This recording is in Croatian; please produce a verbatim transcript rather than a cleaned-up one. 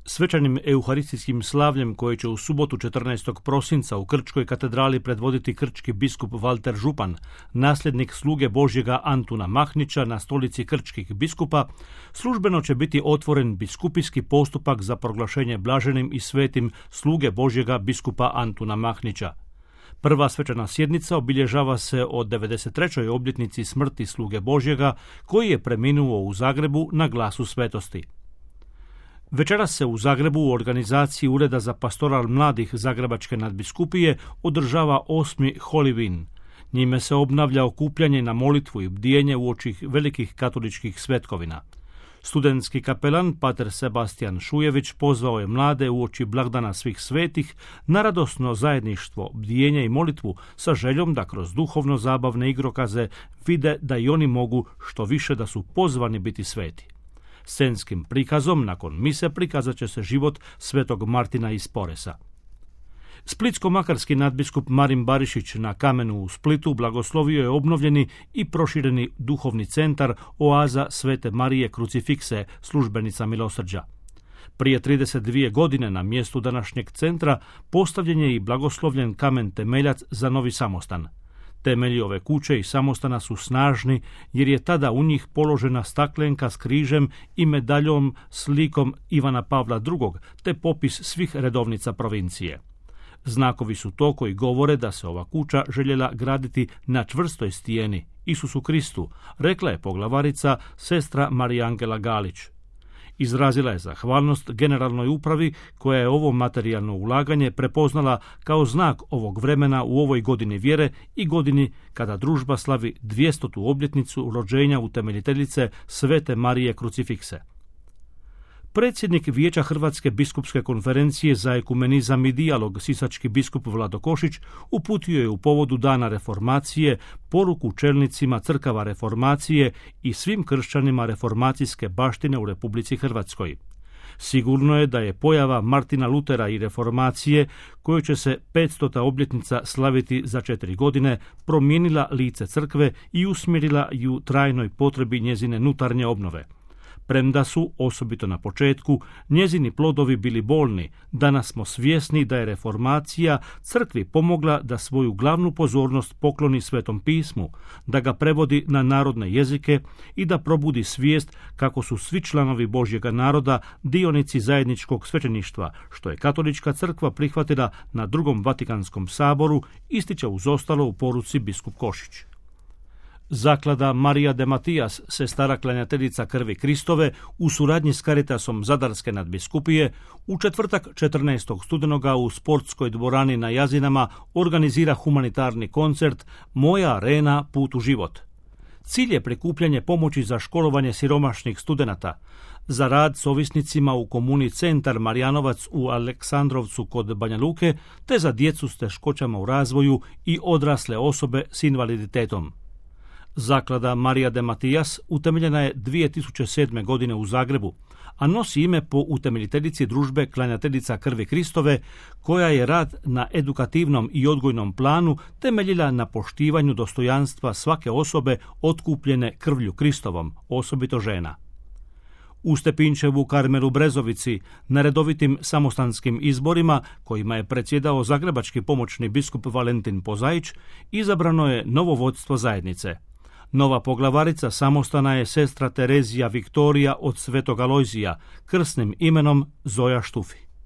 Svečanim euharistijskim slavljem koje će u subotu četrnaestog prosinca u Krčkoj katedrali predvoditi krčki biskup Valter Župan, nasljednik sluge Božjega Antuna Mahnića na stolici krčkih biskupa, službeno će biti otvoren biskupijski postupak za proglašenje blaženim i svetim sluge Božjega biskupa Antuna Mahnića. Prva svečana sjednica obilježava se od devedeset trećoj obljetnici smrti sluge Božjega koji je preminuo u Zagrebu na Glasu svetosti. Večeras se u Zagrebu u organizaciji Ureda za pastoral mladih Zagrebačke nadbiskupije održava osmi Holy Win. Njime se obnavlja okupljanje na molitvu i bdijenje uoči velikih katoličkih svetkovina. Studentski kapelan pater Sebastian Šujević pozvao je mlade uoči blagdana svih svetih na radosno zajedništvo, bdijenje i molitvu sa željom da kroz duhovno zabavne igrokaze vide da i oni mogu što više da su pozvani biti sveti. Scenskim prikazom nakon mise prikazat će se život svetog Martina iz Poresa. Splitsko-makarski nadbiskup Marin Barišić na Kamenu u Splitu blagoslovio je obnovljeni i prošireni duhovni centar Oaza Svete Marije Krucifikse, službenica milosrđa. Prije trideset dvije godine na mjestu današnjeg centra postavljen je i blagoslovljen kamen temeljac za novi samostan. Temelji ove kuće i samostana su snažni jer je tada u njih položena staklenka s križem i medaljom s likom Ivana Pavla drugog te popis svih redovnica provincije. Znakovi su to koji govore da se ova kuća željela graditi na čvrstoj stijeni, Isusu Kristu, rekla je poglavarica sestra Marija Angela Galić. Izrazila je zahvalnost generalnoj upravi koja je ovo materijalno ulaganje prepoznala kao znak ovog vremena u ovoj godini vjere i godini kada družba slavi dvjestotu obljetnicu rođenja utemeljiteljice Svete Marije Krucifikse. Predsjednik Vijeća Hrvatske biskupske konferencije za ekumenizam i dijalog, sisački biskup Vlado Košić, uputio je u povodu Dana reformacije poruku čelnicima crkava reformacije i svim kršćanima reformacijske baštine u Republici Hrvatskoj. Sigurno je da je pojava Martina Lutera i reformacije, koju će se petstota obljetnica slaviti za četiri godine, promijenila lice crkve i usmjerila ju trajnoj potrebi njezine nutarnje obnove. Premda su, osobito na početku, njezini plodovi bili bolni, danas smo svjesni da je reformacija crkvi pomogla da svoju glavnu pozornost pokloni Svetom pismu, da ga prevodi na narodne jezike i da probudi svijest kako su svi članovi Božjega naroda dionici zajedničkog svećeništva, što je katolička crkva prihvatila na drugom Vatikanskom saboru, ističe uz ostalo u poruci biskup Košić. Zaklada Marija de Matijas, sestara klanjateljica krvi Kristove, u suradnji s Caritasom Zadarske nadbiskupije, u četvrtak četrnaestog studenoga u sportskoj dvorani na Jazinama organizira humanitarni koncert Moja arena, put u život. Cilj je prikupljanje pomoći za školovanje siromašnih studenata, za rad s ovisnicima u komuni Centar Marjanovac u Aleksandrovcu kod Banja Luke, te za djecu s teškoćama u razvoju i odrasle osobe s invaliditetom. Zaklada Marija de Matijas utemeljena je dvije tisuće sedme. godine u Zagrebu, a nosi ime po utemeljiteljici družbe Klanjateljica krvi Kristove, koja je rad na edukativnom i odgojnom planu temeljila na poštivanju dostojanstva svake osobe otkupljene krvlju Kristovom, osobito žena. U Stepinčevu Karmelu Brezovici, na redovitim samostanskim izborima, kojima je predsjedao zagrebački pomoćni biskup Valentin Pozaić, izabrano je novo vodstvo zajednice. Nova poglavarica samostana je sestra Terezija Viktorija od Svetog Alojzija, krsnim imenom Zoja Štufi.